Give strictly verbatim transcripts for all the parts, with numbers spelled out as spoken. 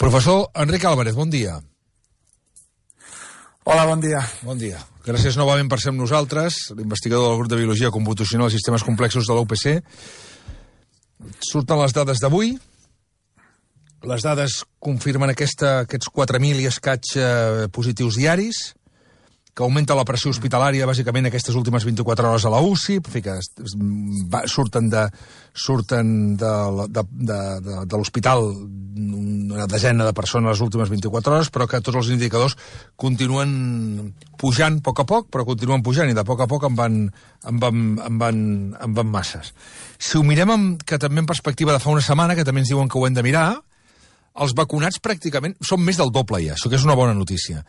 Professor Enric Álvarez, bon dia. Hola, bon dia. Bon dia. Gràcies novament per ser amb nosaltres, l'investigador del grup de Biologia Computacional i Sistemes Complexos de la U P C. Surten les dades d'avui. Les dades confirmen aquesta, aquests quatre mil i escaig eh, positius diaris, que augmenta la pressió hospitalària bàsicament aquestes últimes vint-i-quatre hores a la U C I, en fi, que es, es, va, surten de, surten de, de, de, de, de l'hospital una desena de persones les últimes vint-i-quatre hores, però que tots els indicadors continuen pujant a poc a poc, però continuen pujant, i de poc a poc en van, en van, en van, en van masses. Si ho mirem amb, que també en perspectiva de fa una setmana, que també ens diuen que ho hem de mirar, els vacunats pràcticament són més del doble ja, això que és una bona notícia.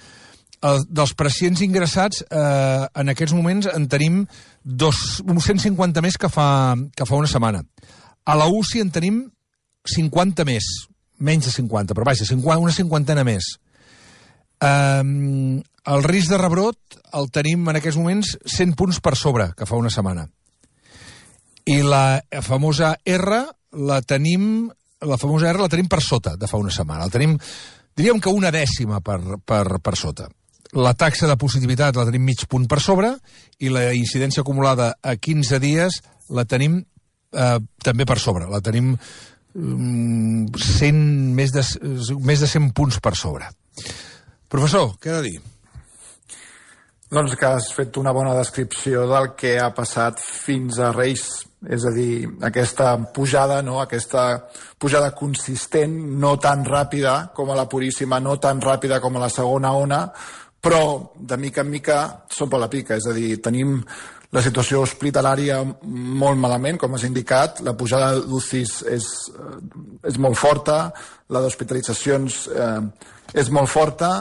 El, dels pacients ingressats, eh, en aquests moments en tenim dos, uns cent cinquanta més que fa, que fa una setmana. A la U C I en tenim cinquanta més, menys de cinquanta, però vaja, cinquanta, una cinquantena més. Eh, el risc de rebrot el tenim en aquests moments cent punts per sobre que fa una setmana. I la famosa R la tenim, la famosa R la tenim per sota de fa una setmana. La tenim, diríem que una dècima per, per, per sota. La taxa de positivitat la tenim mig punt per sobre i la incidència acumulada a quinze dies la tenim eh, també per sobre. La tenim mm, cent, més, de, més de cent punts per sobre. Professor, què ha de dir? Doncs que has fet una bona descripció del que ha passat fins a Reis. És a dir, aquesta pujada, no? Aquesta pujada consistent, no tan ràpida com a la Puríssima, no tan ràpida com a la segona ona, però de mica en mica som per la pica. És a dir, tenim la situació hospitalària molt malament, com has indicat, la pujada d'U C Is és, és molt forta, la d'hospitalitzacions eh, és molt forta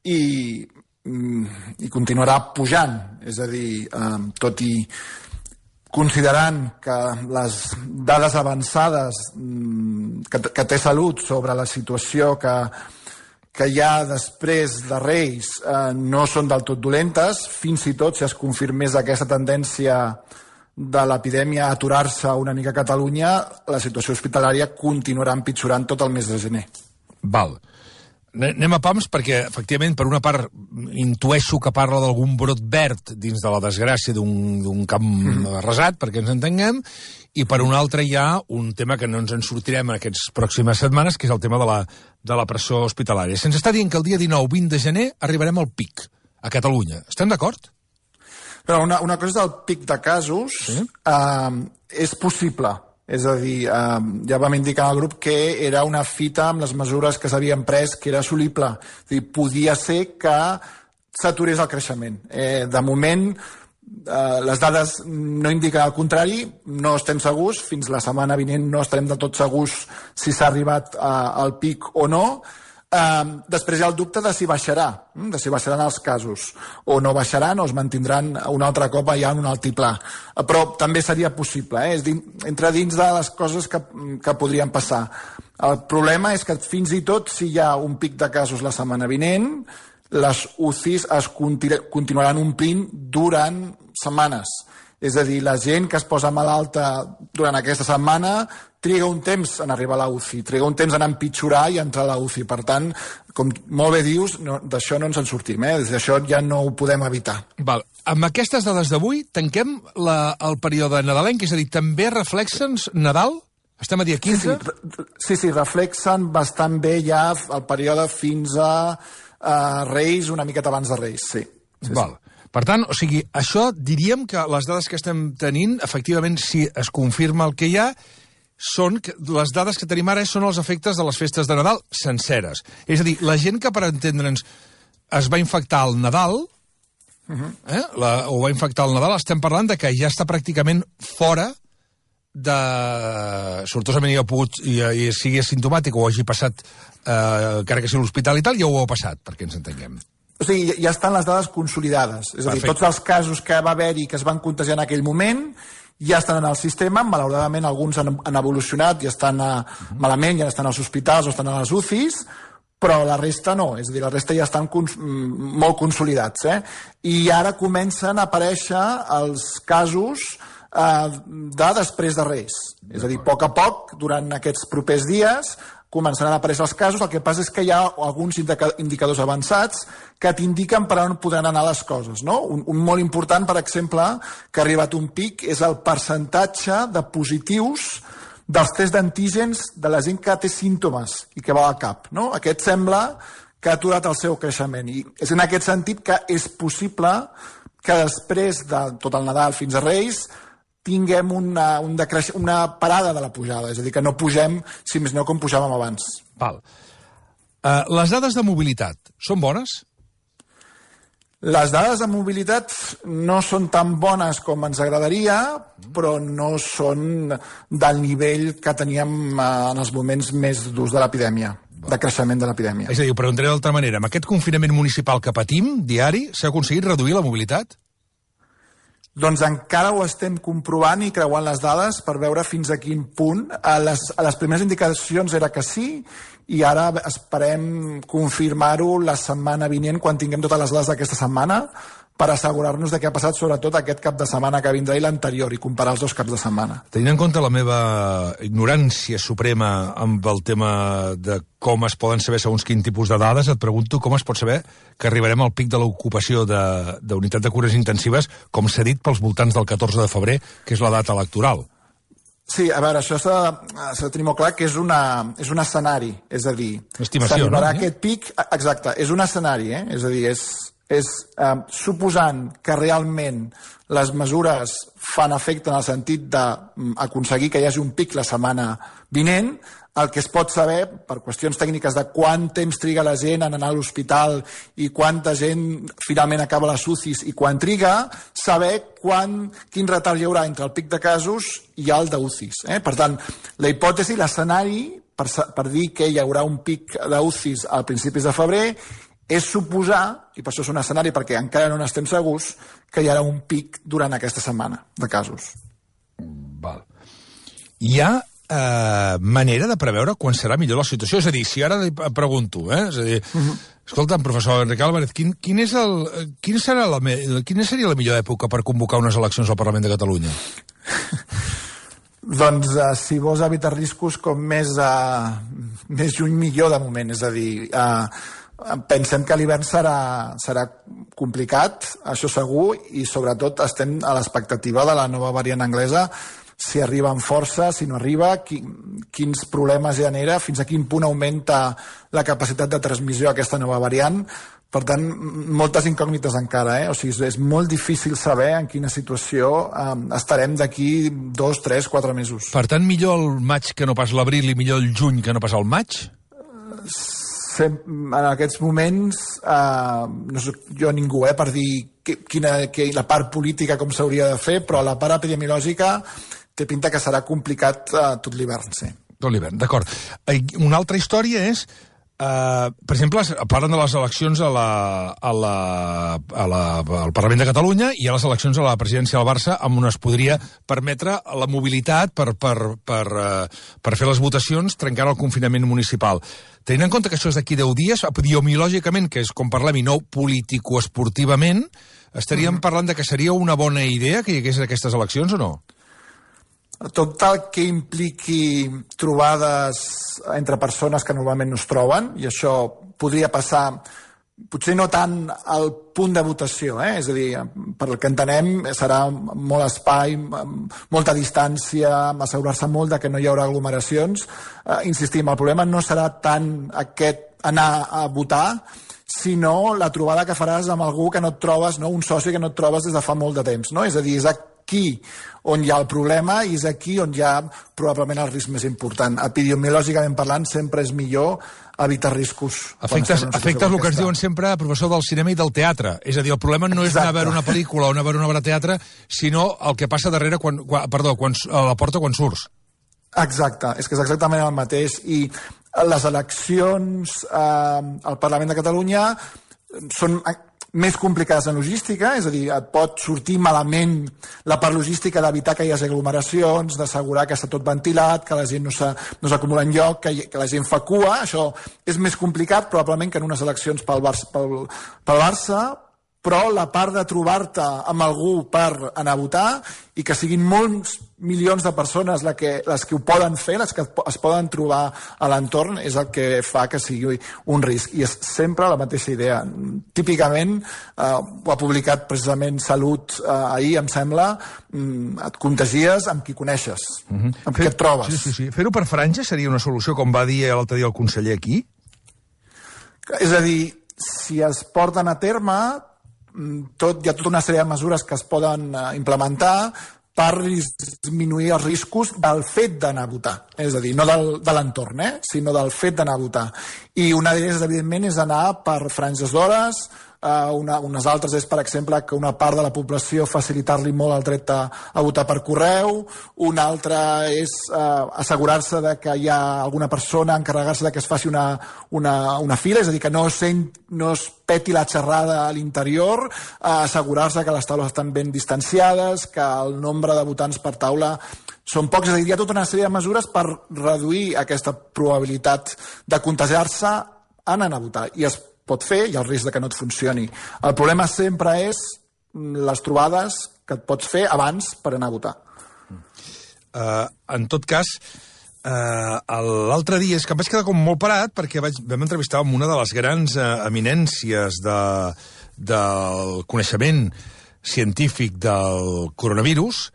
i, i continuarà pujant. És a dir, eh, tot i considerant que les dades avançades que, que té Salut sobre la situació que, que hi ha després de Reis eh, no són del tot dolentes, fins i tot si es confirmés aquesta tendència de l'epidèmia a aturar-se una mica a Catalunya, la situació hospitalària continuarà empitjorant tot el mes de gener. Val. Anem a pams perquè, efectivament, per una part intueixo que parla d'algun brot verd dins de la desgràcia d'un camp mm. arrasat, perquè ens entenguem, i per una altra hi ha un tema que no ens en sortirem en aquestes pròximes setmanes, que és el tema de la, de la pressió hospitalària. Se'ns està dient que el dia dinou vint de gener arribarem al pic a Catalunya. Estem d'acord? Però una, una cosa és el pic de casos, sí? eh, és possible. És a dir, eh, ja vam indicar al grup que era una fita amb les mesures que s'havien pres, que era assolible. És a dir, podia ser que s'aturés el creixement. Eh, de moment, eh, les dades no indiquen el contrari, no estem segurs, fins la setmana vinent no estarem del tot segurs si s'ha arribat eh, al pic o no. Uh, després hi ha el dubte de si baixarà, de si baixaran els casos, o no baixaran o es mantindran un altre cop allà en un altiplà. Uh, però també seria possible, eh? És din, entre dins de les coses que, que podrien passar. El problema és que fins i tot si hi ha un pic de casos la setmana vinent, les U C Is es continu continuaran omplint durant setmanes. És a dir, la gent que es posa malalta durant aquesta setmana triga un temps en arribar a la U C I, triga un temps en empitjorar i entrar a la U C I. Per tant, com molt bé dius, no, d'això no ens en sortim, eh? D'això ja no ho podem evitar. Val. Amb aquestes dades d'avui tanquem la, el període nadalenc, és a dir, també reflexen Nadal? Estem a dia quinze? Sí, sí, sí, sí, reflexen bastant bé ja el període fins a uh, Reis, una miqueta abans de Reis, sí. sí Val. Sí. Per tant, o sigui, això diríem que les dades que estem tenint, efectivament, si es confirma el que hi ha, són que les dades que tenim ara són els efectes de les festes de Nadal senceres. És a dir, la gent que, per entendre'ns, es va infectar al Nadal, uh-huh. eh, la, o va infectar al Nadal, estem parlant de que ja està pràcticament fora de... Sortosament hi ha pogut, i, i sigui asimptomàtic o hagi passat, eh, encara que sigui l'hospital i tal, ja ho ha passat, perquè ens entenguem. O sigui, ja estan les dades consolidades. És a dir, Perfecte. Tots els casos que va haver-hi que es van contagiar en aquell moment ja estan en el sistema, malauradament alguns han, han evolucionat i estan a, uh-huh. malament, ja estan als hospitals o estan a les U C Is, però la resta no, és a dir, la resta ja estan cons molt consolidats. Eh? I ara comencen a aparèixer els casos eh, de després de Reis. És a dir, a poc a poc, durant aquests propers dies, començaran a aparèixer els casos. El que passa és que hi ha alguns indicadors avançats que t'indiquen per on podran anar les coses, no? Un, un molt important, per exemple, que ha arribat un pic, és el percentatge de positius dels tests d'antígens de la gent que té símptomes i que va al cap, no? Aquest sembla que ha aturat el seu creixement, i és en aquest sentit que és possible que després de tot el Nadal fins a Reis tinguem una, un decreix... una parada de la pujada, és a dir, que no pugem, si més no, com pujàvem abans. Val. Uh, les dades de mobilitat són bones? Les dades de mobilitat no són tan bones com ens agradaria, però no són del nivell que teníem en els moments més durs de l'epidèmia, de creixement de l'epidèmia. És a dir, ho preguntaré d'altra manera. Amb aquest confinament municipal que patim, diari, s'ha aconseguit reduir la mobilitat? Doncs encara ho estem comprovant i creuant les dades per veure fins a quin punt. A les, a les primeres indicacions era que sí, i ara esperem confirmar-ho la setmana vinent, quan tinguem totes les dades d'aquesta setmana, per assegurar-nos de què ha passat sobretot aquest cap de setmana que vindrà i l'anterior, i comparar els dos caps de setmana. Tenint en compte la meva ignorància suprema amb el tema de com es poden saber segons quin tipus de dades, et pregunto com es pot saber que arribarem al pic de l'ocupació d'unitat de, de cures intensives, com s'ha dit, pels voltants del catorze de febrer, que és la data electoral. Sí, a veure, això s'ha de tenir molt clar que és, una, és un escenari, és a dir, no? s'arribarà aquest pic, exacte, és un escenari, eh? És a dir, és... és eh, suposant que realment les mesures fan efecte en el sentit d'aconseguir que hi hagi un pic la setmana vinent, el que es pot saber, per qüestions tècniques de quant temps triga la gent en anar a l'hospital i quanta gent finalment acaba les U C Is i quan triga, saber quan, quin retard hi haurà entre el pic de casos i el d'U C Is. Eh? Per tant, la hipòtesi, l'escenari, per, per dir que hi haurà un pic d'U C Is al principis de febrer, és suposar, i per això és un escenari perquè encara no n'estem segurs, que hi haurà un pic durant aquesta setmana de casos. Val. Hi ha eh, manera de preveure quan serà millor la situació? És a dir, si ara li pregunto, eh? És a dir, uh -huh. escolta'm, professor Enric Álvarez, quin, quin, és el, quin serà la, quina seria la millor època per convocar unes eleccions al Parlament de Catalunya? Doncs uh, si vols evitar riscos com més, uh, més lluny millor de moment, és a dir... Uh, pensem que l'hivern serà, serà complicat, això segur, i sobretot estem a l'expectativa de la nova variant anglesa, si arriba amb força, si no arriba, qui, quins problemes genera, fins a quin punt augmenta la capacitat de transmissió d'aquesta nova variant. Per tant, moltes incògnites encara, eh? O sigui, és molt difícil saber en quina situació eh, estarem d'aquí dos, tres, quatre mesos. Per tant, millor el maig que no pas l'abril i millor el juny que no pas el maig? En aquests moments eh, no soc jo ningú eh, per dir que, quina, que la part política com s'hauria de fer, però la part epidemiològica té pinta que serà complicat eh, tot l'hivern, sí. Tot l'hivern, d'acord. Una altra història és, eh, per exemple, parlen de les eleccions a la, a la, a la, al Parlament de Catalunya i a les eleccions a la presidència del Barça, amb on es podria permetre la mobilitat per, per, per, eh, per fer les votacions trencant el confinament municipal. Tenint en compte que això és d'aquí deu dies, epidemiològicament, que és com parlem, i no político-esportivament, estaríem mm. parlant de que seria una bona idea que hi hagués aquestes eleccions o no? Tot el que impliqui trobades entre persones que normalment no es troben, i això podria passar, potser no tant al punt de votació, eh? És a dir, per el que entenem serà molt espai, molta distància, assegurar-se molt de que no hi haurà aglomeracions. Eh, insistim, el problema no serà tant aquest anar a votar, sinó la trobada que faràs amb algú que no et trobes, no? Un soci que no et trobes des de fa molt de temps, no? És a dir, és aquí on hi ha el problema i és aquí on hi ha probablement el risc més important. Epidemiològicament parlant, sempre és millor evitar riscos. Efectes, efectes el que ens diuen sempre, professor, del cinema i del teatre. És a dir, el problema no és anar a veure una pel·lícula o anar a veure una obra de teatre, sinó el que passa darrere, quan, quan, perdó, quan, a la porta quan surts. Exacte, és que és exactament el mateix. I les eleccions eh, al Parlament de Catalunya són més complicades en logística, és a dir, et pot sortir malament la part logística d'evitar que hi hagi aglomeracions, d'assegurar que està tot ventilat, que la gent no s'acumula en lloc, que, que la gent fa cua. Això és més complicat, probablement, que en unes eleccions pel Barça, pel, pel Barça però la part de trobar-te amb algú per anar a votar i que siguin molts milions de persones les que, les que ho poden fer, les que es poden trobar a l'entorn, és el que fa que sigui un risc. I és sempre la mateixa idea. Típicament, eh, ho ha publicat precisament Salut eh, ahir, em sembla, et contagies amb qui coneixes, uh-huh. amb qui et trobes. Sí, sí, sí. Fer-ho per franja seria una solució, com va dir l'altre dia el conseller aquí? És a dir, si es porten a terme, tot, hi ha tota una sèrie de mesures que es poden implementar per disminuir els riscos del fet d'anar a votar. És a dir, no del, de l'entorn, eh? sinó del fet d'anar a votar. I una d'elles, evidentment, és anar per franges d'hores. Uh, una, unes altres és, per exemple, que una part de la població facilitar-li molt el dret a, a votar per correu. Una altra és uh, assegurar-se de que hi ha alguna persona, encarregar-se de que es faci una, una, una fila, és a dir, que no, sent, no es peti la xerrada a l'interior, uh, assegurar-se que les taules estan ben distanciades, que el nombre de votants per taula són pocs. És a dir, hi ha tota una sèrie de mesures per reduir aquesta probabilitat de contagiar-se anant a votar. I es pot fer, hi ha el risc de que no et funcioni. El problema sempre és les trobades que et pots fer abans per anar a votar. Uh, en tot cas, uh, l'altre dia és que em vaig quedar com molt parat perquè vaig, vam entrevistar amb una de les grans uh, eminències de, del coneixement científic del coronavirus,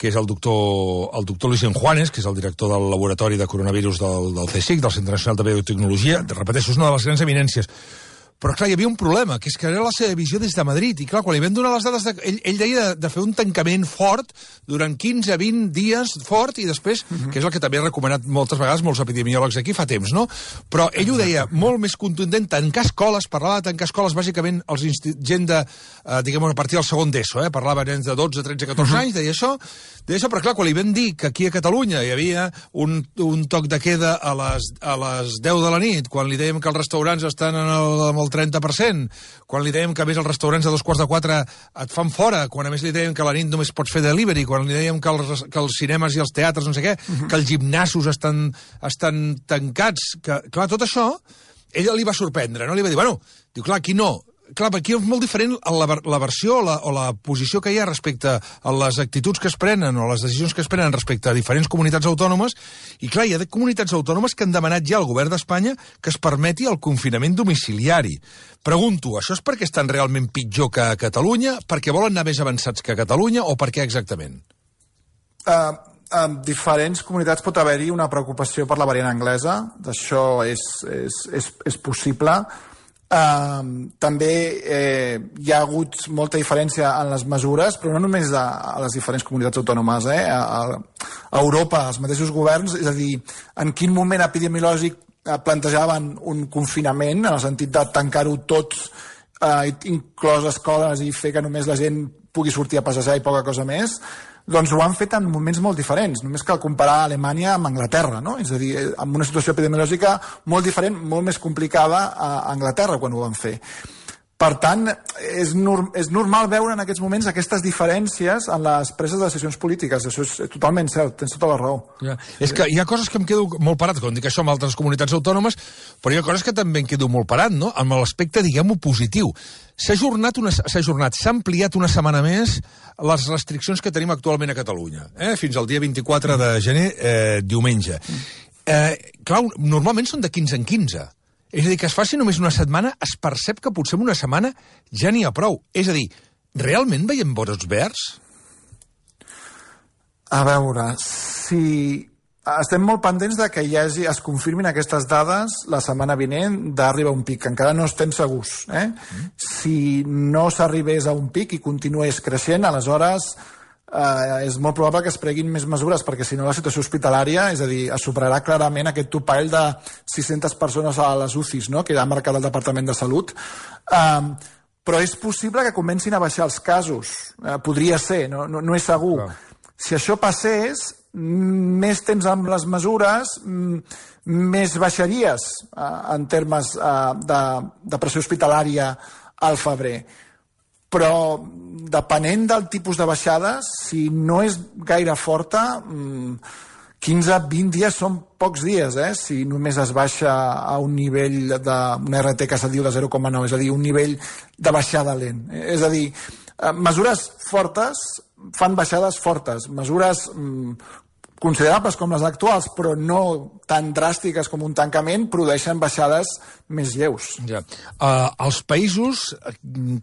que és el doctor, el doctor Luis Juanes, que és el director del laboratori de coronavirus del, del C S I C, del Centre Nacional de Biotecnologia. Repeteixo, és una de les grans eminències. Però, clar, hi havia un problema, que és que era la seva visió des de Madrid. I, clar, quan li vam donar les dades, de, ell, ell deia de, de fer un tancament fort durant quinze a vint dies fort i després, uh-huh. que és el que també ha recomanat moltes vegades molts epidemiòlegs aquí fa temps, no? Però ell ho deia molt més contundent, tancar escoles, parlava de tancar escoles, bàsicament els insti... gent de, eh, diguem, a partir del segon d'ESO, eh? Parlava nens de dotze, tretze, catorze uh-huh. anys, deia això, deia això, però clar, quan li vam dir que aquí a Catalunya hi havia un, un toc de queda a les, a les deu de la nit, quan li dèiem que els restaurants estan en el, en el trenta per cent, quan li dèiem que a més els restaurants a dos quarts de quatre et fan fora, quan a més li dèiem que a la nit només pots fer delivery, quan li dèiem que els, que els cinemes i els teatres, no sé què, uh-huh. que els gimnasos estan, estan tancats, que, clar, tot això, ella li va sorprendre, no? Li va dir, bueno, diu, clar, aquí no. Clar, aquí és molt diferent la, la versió o la, o la posició que hi ha respecte a les actituds que es prenen o les decisions que es prenen respecte a diferents comunitats autònomes, i clar, hi ha comunitats autònomes que han demanat ja al govern d'Espanya que es permeti el confinament domiciliari. Pregunto, això és perquè estan realment pitjor que a Catalunya, perquè volen anar més avançats que a Catalunya, o per què exactament? Uh, en diferents comunitats pot haver-hi una preocupació per la variant anglesa, d'això és, és, és, és possible. Uh, també eh, hi ha hagut molta diferència en les mesures, però no només a, a les diferents comunitats autònomes, eh? a, a Europa, els mateixos governs, és a dir, en quin moment epidemiològic plantejaven un confinament, en el sentit de tancar-ho tot, eh, inclòs escoles, i fer que només la gent pugui sortir a passejar i poca cosa més. Doncs ho han fet en moments molt diferents. Només cal comparar Alemanya amb Anglaterra, no? És a dir, amb una situació epidemiològica molt diferent, molt més complicada a Anglaterra quan ho van fer. Per tant, és, norm, és normal veure en aquests moments aquestes diferències en les preses de decisions polítiques. Això és totalment cert, tens tota la raó. Ja. És que hi ha coses que em quedo molt parat, quan dic això amb altres comunitats autònomes, però hi ha coses que també em quedo molt parat, no? Amb l'aspecte, diguem-ho, positiu. S'ha ajornat, una, s'ha ajornat, s'ha ampliat una setmana més les restriccions que tenim actualment a Catalunya, eh? Fins al dia vint-i-quatre de gener, eh, diumenge. Eh, clar, normalment són de quinze en quinze. És a dir, que es faci només una setmana, es percep que potser en una setmana ja n'hi ha prou. És a dir, realment veiem brots verds? A veure, si estem molt pendents de que hi hagi, es confirmin aquestes dades la setmana vinent d'arribar a un pic. Encara no estem segurs. Eh? Mm. Si no s'arribés a un pic i continués creixent, aleshores eh, és molt probable que es preguin més mesures, perquè si no la situació hospitalària, és a dir, es superarà clarament aquest topall de sis-centes persones a les U C Is, no?, que ha marcat el Departament de Salut. Um, però és possible que comencin a baixar els casos. Uh, podria ser, no, no, no és segur. Clar. Si això passés, més temps amb les mesures, més baixaries uh, en termes uh, de, de pressió hospitalària al febrer. Però depenent del tipus de baixades, si no és gaire forta, quinze a vint dies són pocs dies, eh? Si només es baixa a un nivell d'un R T que se diu de zero coma nou, és a dir, un nivell de baixada lent. És a dir, mesures fortes fan baixades fortes, mesures mm, considerables com les actuals, però no tan dràstiques com un tancament, produeixen baixades més lleus. Ja. Uh, els països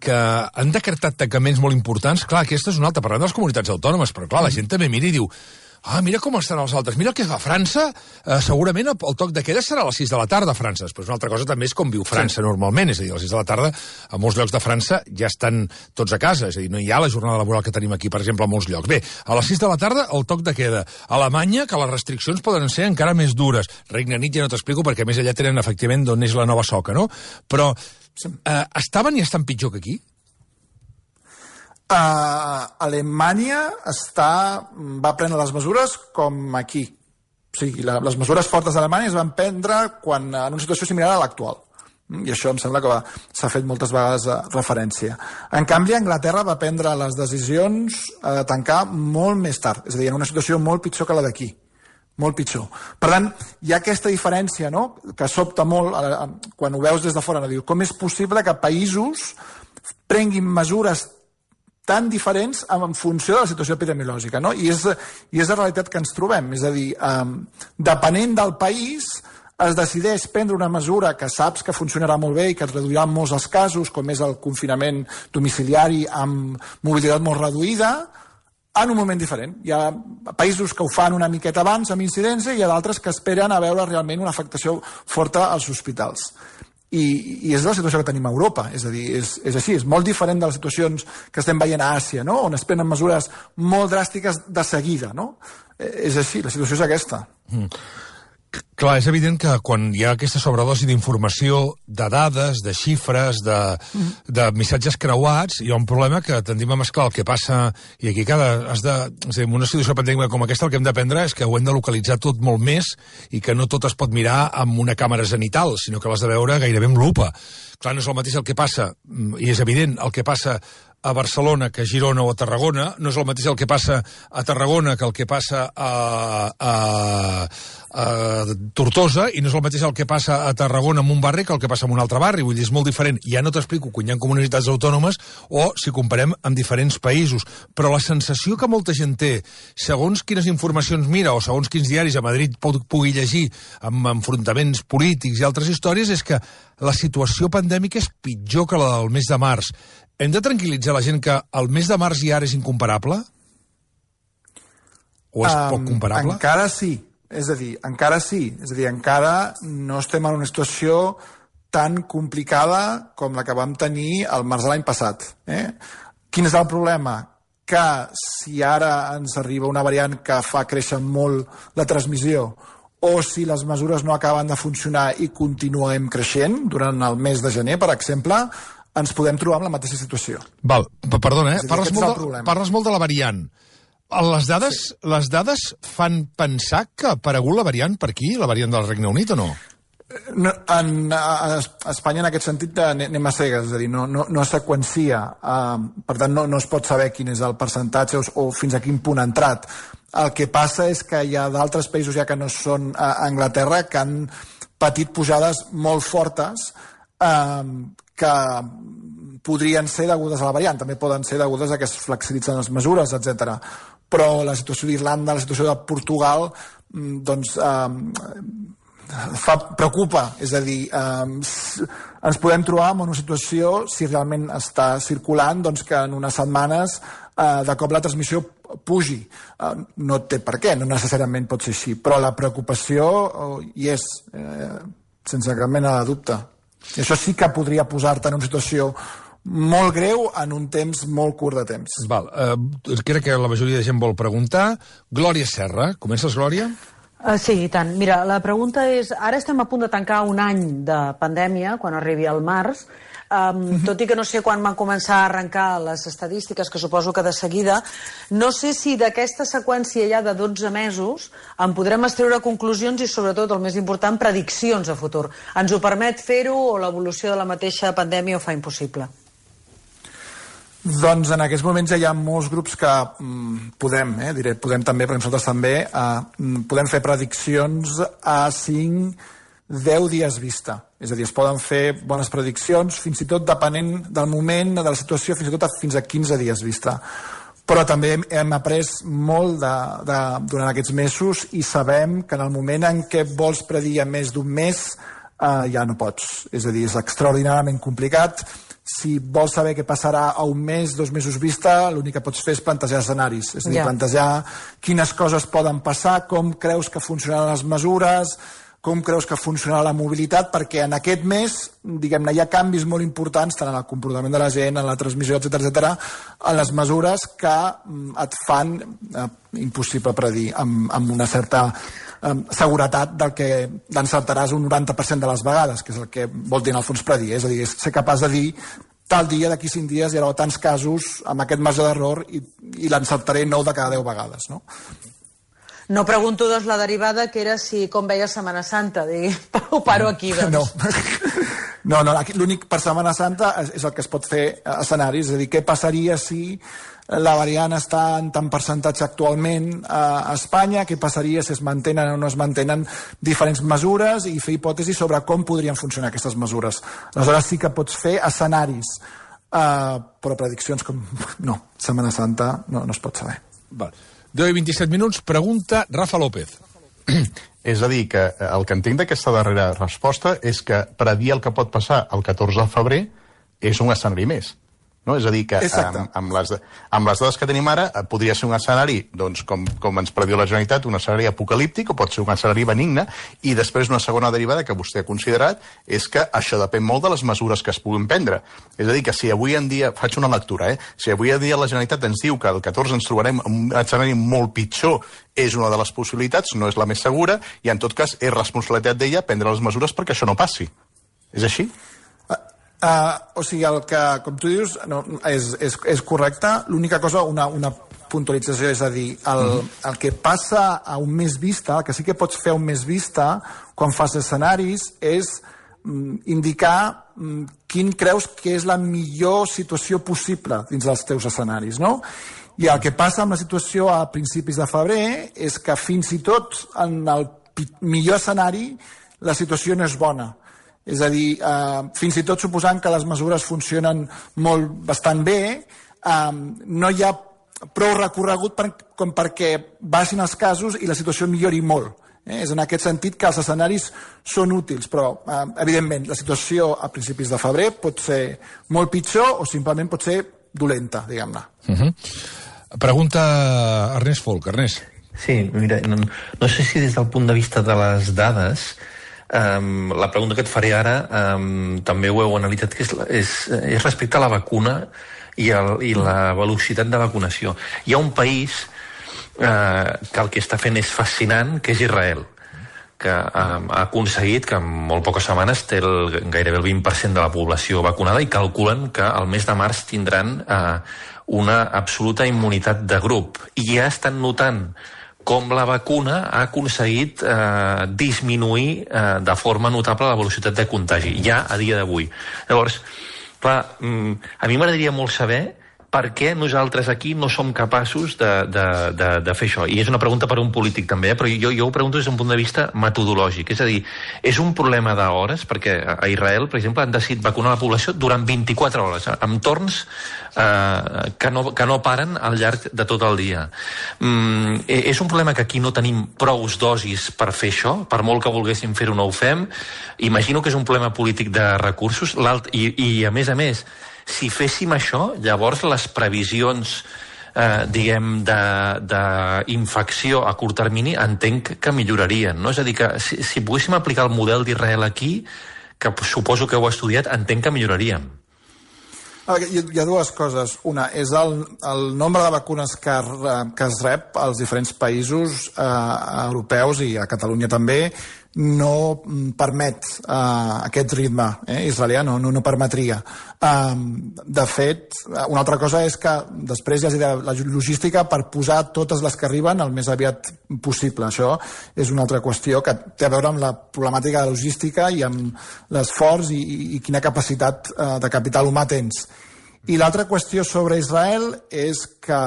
que han decretat tancaments molt importants, clar, aquesta és una altra, parlant de les comunitats autònomes, però clar, la gent també mira i diu ah, mira com estan els altres, mira el que fa França, eh, segurament el, el toc de queda serà a les sis de la tarda a França, però una altra cosa també és com viu França sí. normalment, és a dir, a les sis de la tarda a molts llocs de França ja estan tots a casa, és a dir, no hi ha la jornada laboral que tenim aquí, per exemple, a molts llocs. Bé, a les sis de la tarda el toc de queda. A Alemanya, que les restriccions poden ser encara més dures. Regne Unit ja no t'explico perquè a més allà tenen efectivament d'on és la nova soca, no? Però eh, estaven i estan pitjor que aquí? Uh, Alemanya està, va prendre les mesures com aquí. O sigui, la, les mesures fortes d'Alemanya es van prendre quan, en una situació similar a l'actual. I això em sembla que s'ha fet moltes vegades referència. En canvi, Anglaterra va prendre les decisions de tancar molt més tard, és a dir, en una situació molt pitjor que la d'aquí. Molt pitjor. Per tant, hi ha aquesta diferència, no?, que sobta molt quan ho veus des de fora. No? Diu, com és possible que països prenguin mesures tan diferents en funció de la situació epidemiològica, no? I és, i és la realitat que ens trobem. És a dir, um, depenent del país, es decideix prendre una mesura que saps que funcionarà molt bé i que et reduirà molts els casos, com és el confinament domiciliari amb mobilitat molt reduïda, en un moment diferent. Hi ha països que ho fan una miqueta abans, amb incidència, i hi ha d'altres que esperen a veure realment una afectació forta als hospitals. I, i és la situació que tenim a Europa, és a dir, és, és així, és molt diferent de les situacions que estem veient a Àsia, no?, on es prenen mesures molt dràstiques de seguida, no? És així, la situació és aquesta. Mm. Clar, és evident que quan hi ha aquesta sobredosi d'informació, de dades, de xifres, de, mm. de missatges creuats, hi ha un problema que tendim a mesclar el que passa, i aquí cada... Has de, és a dir, en una situació pandèmica com aquesta el que hem d'aprendre és que ho hem de localitzar tot molt més i que no tot es pot mirar amb una càmera zenital, sinó que l'has de veure gairebé amb lupa. Clar, no és el mateix el que passa, i és evident, el que passa a Barcelona que a Girona o a Tarragona, no és el mateix el que passa a Tarragona que el que passa a, a, a Tortosa, i no és el mateix el que passa a Tarragona en un barri que el que passa en un altre barri, vull dir, és molt diferent. Ja no t'explico quan hi ha comunitats autònomes o si comparem amb diferents països, però la sensació que molta gent té, segons quines informacions mira o segons quins diaris a Madrid pugui llegir amb enfrontaments polítics i altres històries, és que la situació pandèmica és pitjor que la del mes de març. Hem de tranquil·litzar la gent que el mes de març i ara és incomparable? O és um, poc comparable? Encara sí. És a dir, encara sí. És a dir, encara no estem en una situació tan complicada com la que vam tenir al març de l'any passat. Eh? Quin és el problema? Que si ara ens arriba una variant que fa créixer molt la transmissió, o si les mesures no acaben de funcionar i continuem creixent durant el mes de gener, per exemple, ens podem trobar amb la mateixa situació. Val, perdona, eh? Parles molt, de, parles molt de la variant. Les dades, sí. les dades fan pensar que ha aparegut la variant per aquí, la variant del Regne Unit, o no? No, en, a Espanya, en aquest sentit, anem a cegues, és a dir, no, no, no es seqüencia, uh, per tant, no, no es pot saber quin és el percentatge o, o fins a quin punt ha entrat. El que passa és que hi ha d'altres països, ja que no són a Anglaterra, que han patit pujades molt fortes, uh, que podrien ser degudes a la variant, també poden ser degudes a que es flexibilitzen les mesures, etcètera. Però la situació d'Irlanda, la situació de Portugal, doncs eh, fa, preocupa, és a dir, eh, ens podem trobar en una situació, si realment està circulant, doncs que en unes setmanes eh, de cop la transmissió pugi. Eh, no té per què, no necessàriament pot ser així, però la preocupació oh, hi és, eh, sense cap mena de dubte. I això sí que podria posar-te en una situació molt greu en un temps molt curt de temps. Val, eh, crec que la majoria de gent vol preguntar. Glòria Serra, comences, Glòria? Uh, sí, i tant. Mira, la pregunta és, ara estem a punt de tancar un any de pandèmia, quan arribi al març, um, uh-huh. tot i que no sé quan van començar a arrencar les estadístiques, que suposo que de seguida, no sé si d'aquesta seqüència ja de dotze mesos en podrem extreure conclusions i, sobretot, el més important, prediccions a futur. Ens ho permet fer-ho o l'evolució de la mateixa pandèmia ho fa impossible? Doncs en aquests moments ja hi ha molts grups que mm, podem, eh, diré, podem també, però nosaltres també, eh, podem fer prediccions a cinc, deu dies vista. És a dir, es poden fer bones prediccions, fins i tot depenent del moment, de la situació, fins i tot a, fins a quinze dies vista. Però també hem, hem après molt de, de, durant aquests mesos i sabem que en el moment en què vols predir a més d'un mes, eh, ja no pots. És a dir, és extraordinàriament complicat. Si vols saber què passarà a un mes, dos mesos vista, l'únic que pots fer és plantejar escenaris. És a dir, yeah. plantejar quines coses poden passar, com creus que funcionaran les mesures, com creus que funcionarà la mobilitat, perquè en aquest mes, diguem-ne, hi ha canvis molt importants, tant en el comportament de la gent, en la transmissió, etcètera, etcètera, en les mesures que et fan eh, impossible predir amb, amb una certa eh, seguretat del que l'encertaràs un noranta per cent de les vegades, que és el que vol dir en el fons predir. És a dir, és ser capaç de dir tal dia, d'aquí cinc dies, hi haurà tants casos amb aquest marge d'error i, i l'encertaré nou de cada deu vegades, no? No pregunto, doncs, la derivada, que era si com veia Setmana Santa. Digui, ho paro aquí, doncs. No, no, no l'únic per Setmana Santa és el que es pot fer escenaris. És a dir, què passaria si la variant està en tant percentatge actualment a Espanya, què passaria si es mantenen o no es mantenen diferents mesures i fer hipòtesis sobre com podrien funcionar aquestes mesures. Aleshores sí que pots fer escenaris, uh, però prediccions com... No, Setmana Santa no, no es pot saber. Vale. deu i vint-i-set minuts, pregunta Rafa López. És a dir, que el que entenc d'aquesta darrera resposta és que predir el que pot passar el catorze de febrer és un escenari més. No? És a dir, que amb, amb, les, amb les dades que tenim ara podria ser un escenari, doncs, com, com ens prediu la Generalitat, un escenari apocalíptic, o pot ser un escenari benigne, i després una segona derivada que vostè ha considerat és que això depèn molt de les mesures que es puguin prendre. És a dir, que si avui en dia, faig una lectura, eh? si avui en dia la Generalitat ens diu que el catorze ens trobarem un escenari molt pitjor, és una de les possibilitats, no és la més segura, i en tot cas és responsabilitat d'ella prendre les mesures perquè això no passi. És així? Uh, o sigui, el que, com tu dius, no, és, és, és correcte. L'única cosa, una, una puntualització, és a dir, el, el que passa a un mes vista, el que sí que pots fer a un mes vista, quan fas escenaris, és mm, indicar mm, quin creus que és la millor situació possible dins dels teus escenaris, no? I el que passa amb la situació a principis de febrer és que fins i tot en el millor escenari la situació no és bona. És a dir, eh, fins i tot suposant que les mesures funcionen molt bastant bé, eh, no hi ha prou recorregut per, com perquè baixin els casos i la situació millori molt. Eh? És en aquest sentit que els escenaris són útils, però eh, evidentment la situació a principis de febrer pot ser molt pitjor o simplement pot ser dolenta, diguem-ne. Uh-huh. Pregunta Ernest Folk. Ernest. Sí, mira, no, no sé si des del punt de vista de les dades, Um, la pregunta que et faré ara um, també ho heu analitzat, que és, és, és respecte a la vacuna i, el, i la velocitat de vacunació. Hi ha un país uh, que el que està fent és fascinant, que és Israel, que um, ha aconseguit que en molt poques setmanes té el, gairebé el vint per cent de la població vacunada i calculen que al mes de març tindran uh, una absoluta immunitat de grup. I ja estan notant com la vacuna ha aconseguit eh, disminuir eh, de forma notable la velocitat de contagi, ja a dia d'avui. Llavors, clar, a mi m'agradaria molt saber per què nosaltres aquí no som capaços de, de, de, de fer això. I és una pregunta per a un polític també, eh? Però jo, jo ho pregunto des d'un punt de vista metodològic. És a dir, és un problema d'hores, perquè a Israel, per exemple, han decidit vacunar la població durant vint-i-quatre hores, amb torns eh, que, no, que no paren al llarg de tot el dia. Mm, és un problema que aquí no tenim prous dosis per fer això, per molt que volguéssim fer-ho no ho fem. Imagino que és un problema polític de recursos, i, i a més a més, si féssim això, llavors les previsions eh, diguem d'infecció a curt termini entenc que millorarien, no? És a dir, que si, si poguéssim aplicar el model d'Israel aquí, que suposo que heu estudiat, entenc que milloraríem. Hi ha dues coses. Una és el, el nombre de vacunes que, que es rep als diferents països eh, europeus i a Catalunya també no permet uh, aquest ritme eh, israelià, no, no, no permetria. Um, de fet, una altra cosa és que després hi hagi la logística per posar totes les que arriben el més aviat possible. Això és una altra qüestió que té a veure amb la problemàtica de logística i amb l'esforç i, i quina capacitat uh, de capital humà tens. I l'altra qüestió sobre Israel és que,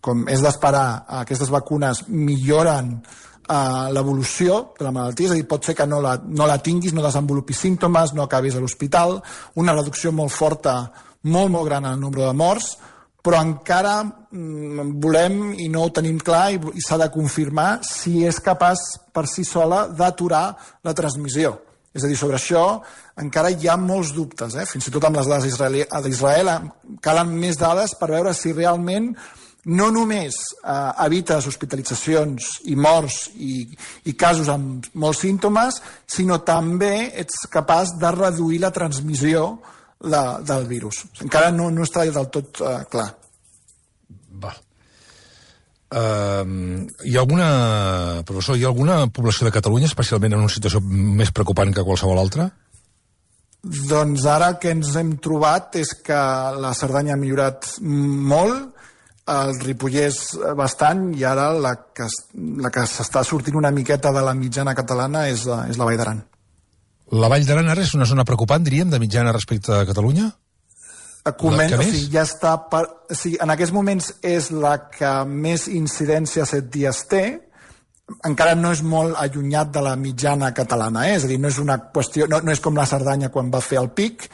com és d'esperar, aquestes vacunes milloren uh, l'evolució de la malaltia, és a dir, pot ser que no la, no la tinguis, no desenvolupis símptomes, no acabis a l'hospital, una reducció molt forta, molt, molt gran en el nombre de morts, però encara mm, volem, i no ho tenim clar, i, i s'ha de confirmar si és capaç per si sola d'aturar la transmissió. És a dir, sobre això encara hi ha molts dubtes, eh? Fins i tot amb les dades d'Israel calen més dades per veure si realment no només eh, evites hospitalitzacions i morts i, i casos amb molts símptomes, sinó també ets capaç de reduir la transmissió de, del virus. Encara no, no està del tot eh, clar. Va. Uh, hi ha alguna, professor, hi ha alguna població de Catalunya especialment en una situació més preocupant que qualsevol altra? Doncs ara el que ens hem trobat és que la Cerdanya ha millorat molt, el Ripollès bastant, i ara la que, la que s'està sortint una miqueta de la mitjana catalana és la, és la Vall d'Aran. La Vall d'Aran ara és una zona preocupant, diríem, de mitjana respecte a Catalunya? Coment, o sigui, ja està per, o sigui, en aquests moments és la que més incidència a set dies té, encara no és molt allunyat de la mitjana catalana, eh? És a dir, no és una qüestió, no, no és com la Cerdanya quan va fer el pic,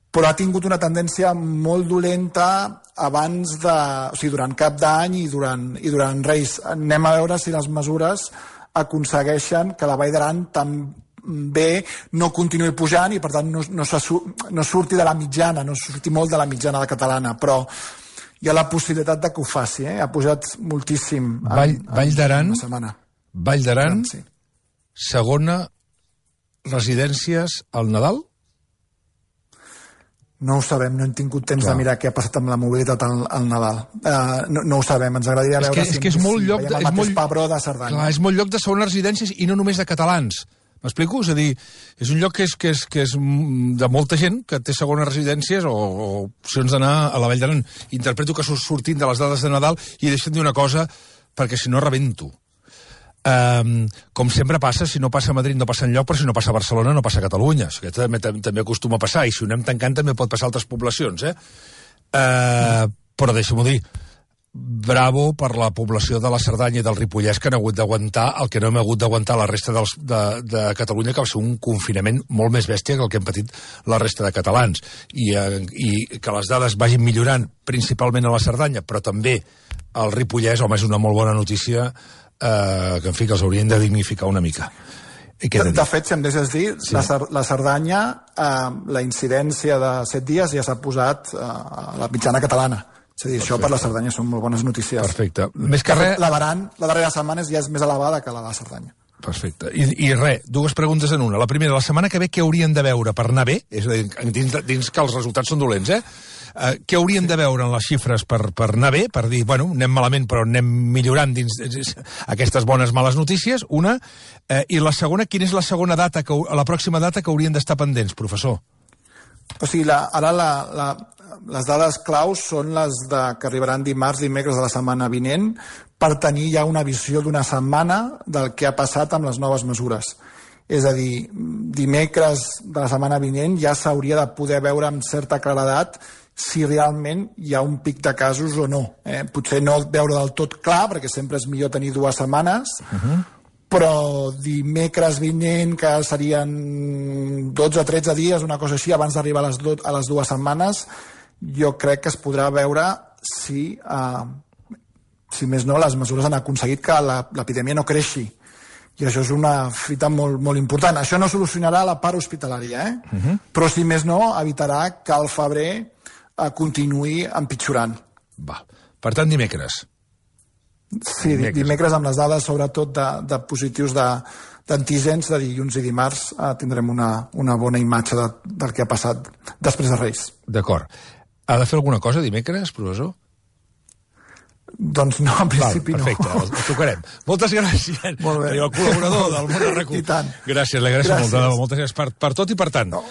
però ha tingut una tendència molt dolenta abans de, o sigui, durant Cap d'Any i durant, i durant Reis. Anem a veure si les mesures aconsegueixen que la Vall d'Aran també bé no continuï pujant i per tant no, no, no surti de la mitjana, no surti molt de la mitjana de catalana, però hi ha la possibilitat de que ho faci, eh? Ha pujat moltíssim en, Vall, Vall d'Aran, una setmana. Vall d'Aran, sí. Segona residències al Nadal? No ho sabem, no hem tingut temps Clar. de mirar què ha passat amb la mobilitat al, al Nadal. Uh, no, no ho sabem, ens agradaria és veure que, si, és que és si molt lloc veiem de, el és mateix molt, Pebró de Cerdanya. Clar, és molt lloc de segones residències i no només de catalans. M'explico? És a dir, és un lloc que és, que és, que és de molta gent que té segones residències o, o opcions d'anar a la Vall d'Aran. Interpreto que sortint de les dades de Nadal i deixem dir una cosa, perquè si no rebento. Um, com sempre passa, si no passa a Madrid no passa enlloc, però si no passa a Barcelona no passa a Catalunya. Això també, també acostuma a passar, i si ho anem tancant també pot passar a altres poblacions. Eh? Uh, però deixa'm-ho dir, bravo per la població de la Cerdanya i del Ripollès que han hagut d'aguantar el que no hem hagut d'aguantar la resta dels, de, de Catalunya, que va ser un confinament molt més bèstia que el que hem patit la resta de catalans. I, eh, i que les dades vagin millorant, principalment a la Cerdanya, però també al Ripollès, home, és una molt bona notícia eh, que, en fi, que els haurien de dignificar una mica. De, de fet, si em deixes dir, sí. la, la Cerdanya, eh, la incidència de set dies ja s'ha posat eh, a la mitjana catalana. És a dir, Perfecte. Això per la Cerdanya són molt bones notícies. Perfecte. Més que res... La d'Aran, la darrera setmana ja és més elevada que la de la Cerdanya. Perfecte. I, i res, dues preguntes en una. La primera, la setmana que ve què haurien de veure per anar bé? És a dir, dins, dins que els resultats són dolents, eh? Uh, què haurien sí. de veure en les xifres per, per anar bé? Per dir, bueno, anem malament però anem millorant dins, dins aquestes bones males notícies, una. Uh, I la segona, quina és la segona data, que, la pròxima data que haurien d'estar pendents, professor? O sigui, la, ara la, la, les dades claus són les de, que arribaran dimarts, dimecres de la setmana vinent, per tenir ja una visió d'una setmana del que ha passat amb les noves mesures. És a dir, dimecres de la setmana vinent ja s'hauria de poder veure amb certa claredat si realment hi ha un pic de casos o no. Eh? Potser no veure del tot clar, perquè sempre és millor tenir dues setmanes, uh-huh. però dimecres vinent, que serien dotze o tretze dies, una cosa així, abans d'arribar a, les do, a les dues setmanes, jo crec que es podrà veure si, eh, si més no, les mesures han aconseguit que l'epidèmia no creixi. I això és una fita molt, molt important. Això no solucionarà la part hospitalària, eh? Uh-huh. però si més no, evitarà que el febrer eh, continuï empitjorant. Va. Per tant, dimecres. Sí, dimecres, dimecres amb les dades sobretot de, de positius d'antígens de, de dilluns i dimarts eh, tindrem una, una bona imatge de, del que ha passat després de Reis. D'acord. Ha de fer alguna cosa dimecres, professor? Doncs no, en principi Val, perfecte, no. Perfecte, el tocarem. Moltes gràcies. Molt bé. El col·laborador del Món de RAC u. I tant. Gràcies, l'agraeixo molt. Moltes gràcies per, per tot i per tant. No.